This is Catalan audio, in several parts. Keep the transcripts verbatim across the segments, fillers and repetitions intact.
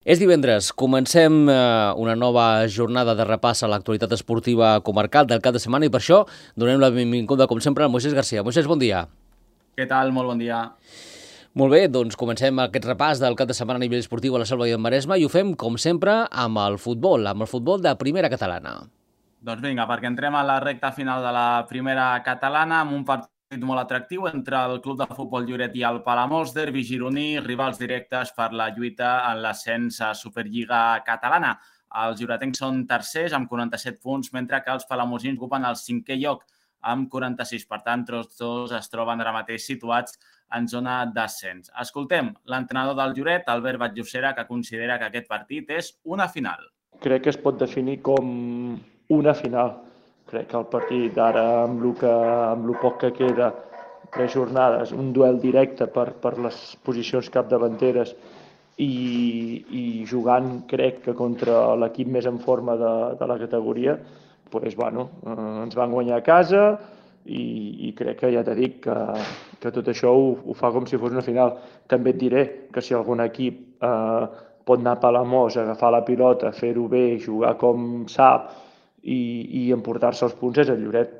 És divendres, comencem eh, una nova jornada de repàs a l'actualitat esportiva comarcal del cap de setmana i per això donem la benvinguda, com sempre, a Moisés Garcia. Moisés, bon dia. Què tal? Molt bon dia. Molt bé, doncs comencem aquest repàs del cap de setmana a nivell esportiu a la Selva i el Maresme i ho fem, com sempre, amb el futbol, amb el futbol de primera catalana. Doncs vinga, perquè entrem a la recta final de la primera catalana amb un partit molt atractiu entre el Club de Futbol Lloret i el Palamós, derbi gironí, rivals directes per la lluita en l'ascens a Superliga catalana. Els lloretencs són tercers amb quaranta-set punts, mentre que els palamosins ocupen el cinquè lloc amb quaranta-sis. Per tant, tots dos es troben ara mateix situats en zona d'ascens. Escoltem l'entrenador del Lloret, Albert Batllocera, que considera que aquest partit és una final. Crec que es pot definir com una final. Crec que el partit ara, amb el, que, amb el poc que queda, tres jornades, un duel directe per, per les posicions capdavanteres i, i jugant, crec que contra l'equip més en forma de, de la categoria, pues, bueno, eh, ens van guanyar a casa i, i crec que ja t'he dit que, que tot això ho, ho fa com si fos una final. També et diré que si algun equip eh, pot anar a Palamós, agafar la pilota, fer-ho bé, jugar com sap i, i emportar-se els punts és el Lloret.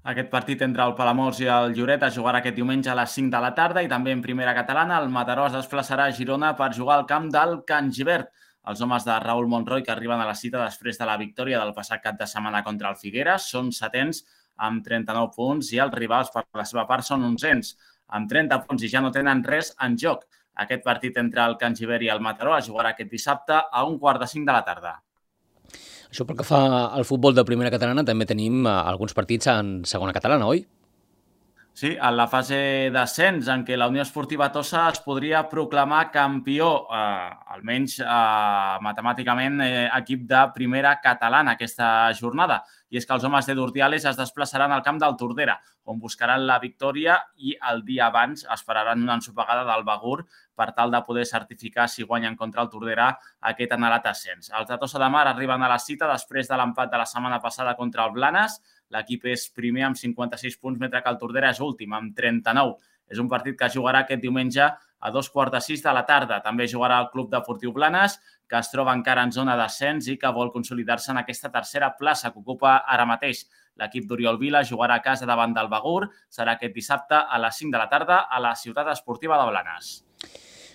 Aquest partit entre el Palamós i el Lloret es jugarà aquest diumenge a les cinc de la tarda i també en primera catalana el Mataró es desplaçarà a Girona per jugar al camp del Can Gibert. Els homes de Raül Monroy, que arriben a la cita després de la victòria del passat cap de setmana contra el Figueres, són setens amb trenta-nou punts i els rivals per la seva part són onzens amb trenta punts i ja no tenen res en joc. Aquest partit entre el Can Gibert i el Mataró es jugarà aquest dissabte a un quart de cinc de la tarda. Això pel que fa al futbol de primera catalana, també tenim eh, alguns partits en segona catalana, oi? Sí, en la fase d'ascens en què la Unió Esportiva Tossa es podria proclamar campió, eh, almenys eh, matemàticament, eh, equip de primera catalana aquesta jornada. I és que els homes de d'Urdiales es desplaçaran al camp del Tordera, on buscaran la victòria i el dia abans esperaran una ensopegada del Begur per tal de poder certificar si guanyen contra el Tordera aquest anhelat ascens. Els de Tossa de Mar arriben a la cita després de l'empat de la setmana passada contra el Blanes. L'equip és primer amb cinquanta-sis punts, mentre que el Tordera és últim amb trenta-nou. És un partit que jugarà aquest diumenge a dos quarts de sis de la tarda. També jugarà el Club Deportiu Blanes, que es troba encara en zona d'ascens i que vol consolidar-se en aquesta tercera plaça que ocupa ara mateix. L'equip d'Oriol Vila jugarà a casa davant del Begur. Serà aquest dissabte a les cinc de la tarda a la ciutat esportiva de Blanes.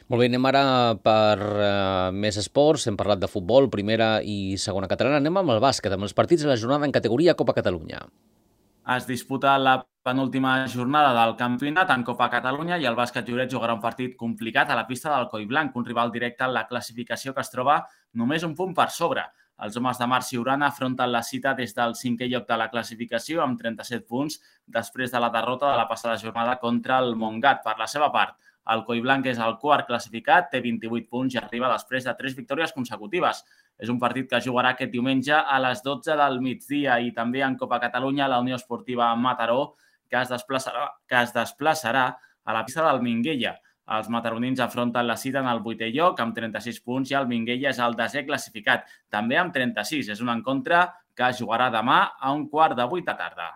Molt bé, anem ara per uh, més esports. Hem parlat de futbol, primera i segona catalana. Anem amb el bàsquet, amb els partits de la jornada en categoria Copa Catalunya. Es disputa la penúltima jornada del campionat en Copa Catalunya i el bàsquet Lloret jugarà un partit complicat a la pista del Collblanc, un rival directe en la classificació que es troba només un punt per sobre. Els homes de Marc Ciurana afronten la cita des del cinquè lloc de la classificació amb trenta-set punts després de la derrota de la passada jornada contra el Montgat. Per la seva part, el Collblanc és el quart classificat, té vint-i-vuit punts i arriba després de tres victòries consecutives. És un partit que jugarà aquest diumenge a les dotze del migdia i també en Copa Catalunya la Unió Esportiva Mataró, que es desplaçarà, que es desplaçarà a la pista del Minguella. Els mataronins afronten la cita en el vuitè lloc amb trenta-sis punts i el Minguella és el desè classificat, també amb trenta-sis. És un encontre que es jugarà demà a un quart de vuit de tarda.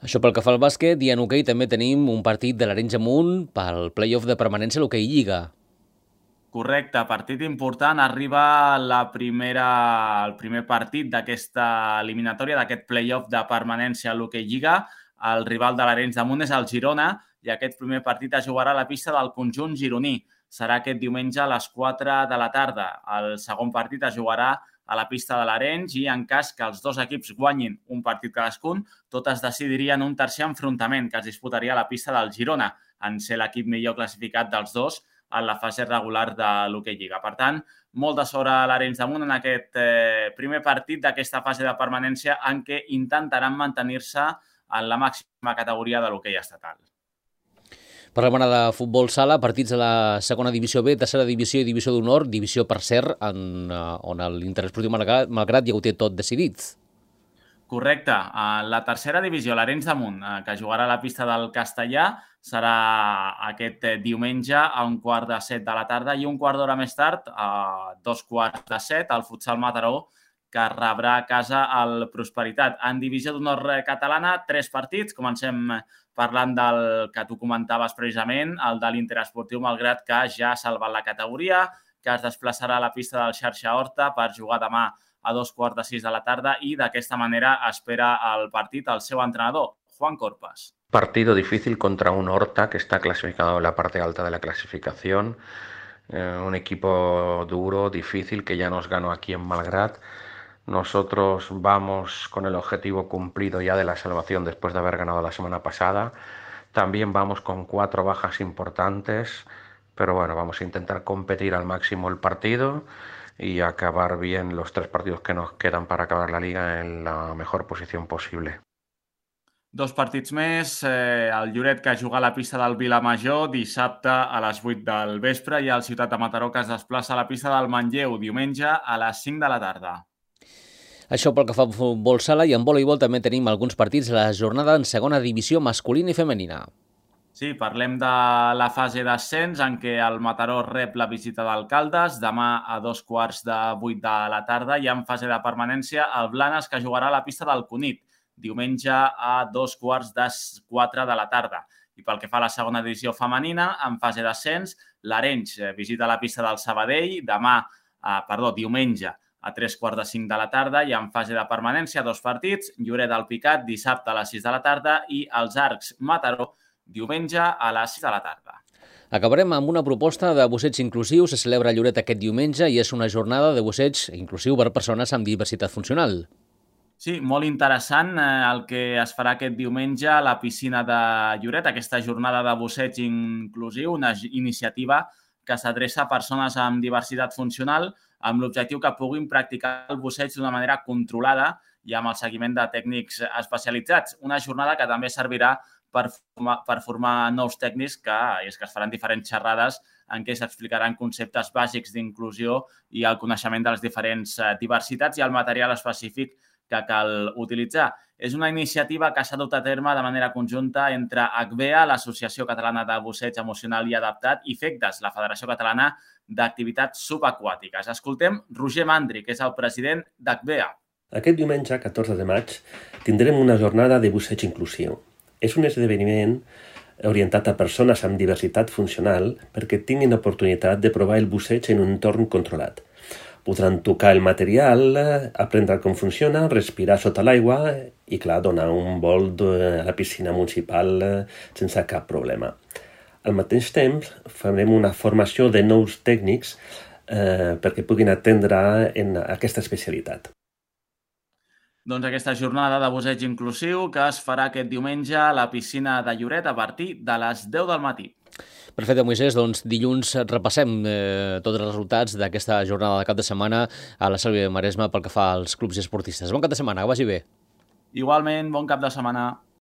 Això pel que fa al bàsquet, i en hoquei també tenim un partit de l'Arenys Amunt pel play-off de permanència a l'hoquei Lliga. Correcte, partit important. Arriba la primera, el primer partit d'aquesta eliminatòria, d'aquest play-off de permanència a l'hoquei Lliga. El rival de l'Arenys de Munt és el Girona i aquest primer partit es jugarà a la pista del conjunt gironí. Serà aquest diumenge a les quatre de la tarda. El segon partit es jugarà a la pista de l'Arenys i en cas que els dos equips guanyin un partit cadascun, tot es decidiria en un tercer enfrontament que es disputaria a la pista del Girona, en ser l'equip millor classificat dels dos en la fase regular de l'hoquei Lliga. Per tant, molt de sort a l'Arenys de Munt en aquest eh, primer partit d'aquesta fase de permanència en què intentaran mantenir-se en la màxima categoria de l'hoquei estatal. Parlem ara de futbol sala, partits de la segona divisió B, tercera divisió i divisió d'honor, divisió per cert, en, on l'Interesportiu Malgrat, Malgrat ja ho té tot decidit. Correcte. La tercera divisió, l'Arenys de Munt, que jugarà a la pista del Castellà, serà aquest diumenge a un quart de set de la tarda i un quart d'hora més tard, a dos quarts de set, el futsal Mataró, que rebrà a casa el Prosperitat. En divisió d'honor catalana, tres partits. Comencem parlant del que tu comentaves precisament, el de l'Interesportiu Malgrat, que ja ha salvat la categoria, que es desplaçarà a la pista del Xarxa Horta per jugar demà a dos quarts de sis de la tarda i d'aquesta manera espera el partit el seu entrenador, Juan Corpas. Partido difícil contra un Horta que está clasificado en la parte alta de la clasificación, eh, un equipo duro, difícil, que ya nos ganó aquí en Malgrat. Nosotros vamos con el objetivo cumplido ya de la salvación después de haber ganado la semana pasada. También vamos con cuatro bajas importantes, pero bueno, vamos a intentar competir al máximo el partido y acabar bien los tres partidos que nos quedan para acabar la liga en la mejor posición posible. Dos partits més, eh, el Lloret que juga a la pista del Vilamajor dissabte a les vuit del vespre i el Ciutat de Mataró que es desplaça a la pista del Manlleu diumenge a les cinc de la tarda. Això pel que fa a futbol sala, i en voleibol també tenim alguns partits de la jornada en segona divisió masculina i femenina. Sí, parlem de la fase d'ascens en què el Mataró rep la visita d'Alcaldes demà a dos quarts de vuit de la tarda i en fase de permanència el Blanes que jugarà a la pista del Cunit diumenge a dos quarts de quatre de la tarda. I pel que fa a la segona divisió femenina, en fase d'ascens, l'Arenys visita la pista del Sabadell demà, eh, perdó, diumenge a tres quarts de cinc de la tarda i en fase de permanència dos partits, Lloret del Picat dissabte a les sis de la tarda i els Arcs Mataró diumenge a les sis de la tarda. Acabarem amb una proposta de busseig inclusiu. Se celebra a Lloret aquest diumenge i és una jornada de busseig inclusiu per a persones amb diversitat funcional. Sí, molt interessant eh, el que es farà aquest diumenge a la piscina de Lloret, aquesta jornada de busseig inclusiu, una iniciativa que s'adreça a persones amb diversitat funcional amb l'objectiu que puguin practicar el busseig d'una manera controlada i amb el seguiment de tècnics especialitzats. Una jornada que també servirà per formar, per formar nous tècnics que, és que es faran diferents xerrades en què s'explicaran conceptes bàsics d'inclusió i el coneixement de les diferents diversitats i el material específic que cal utilitzar. És una iniciativa que s'ha dut a terme de manera conjunta entre H B A, l'Associació Catalana de Busseig Emocional i Adaptat, i FECDAS, la Federació Catalana d'Activitats Subaquàtiques. Escoltem Roger Mandri, que és el president d'H B A. Aquest diumenge, catorze de maig, tindrem una jornada de busseig inclusiu. És un esdeveniment orientat a persones amb diversitat funcional perquè tinguin oportunitat de provar el busseig en un entorn controlat. Podran tocar el material, aprendre com funciona, respirar sota l'aigua i, clar, donar un volt a la piscina municipal sense cap problema. Al mateix temps, farem una formació de nous tècnics eh, perquè puguin atendre en aquesta especialitat. Doncs aquesta jornada de busseig inclusiu que es farà aquest diumenge a la piscina de Lloret a partir de les deu del matí. Perfecte, Moisés. Doncs dilluns repassem eh, tots els resultats d'aquesta jornada de cap de setmana a la Selva de Maresme pel que fa als clubs i esportistes. Bon cap de setmana, que vagi bé. Igualment, bon cap de setmana.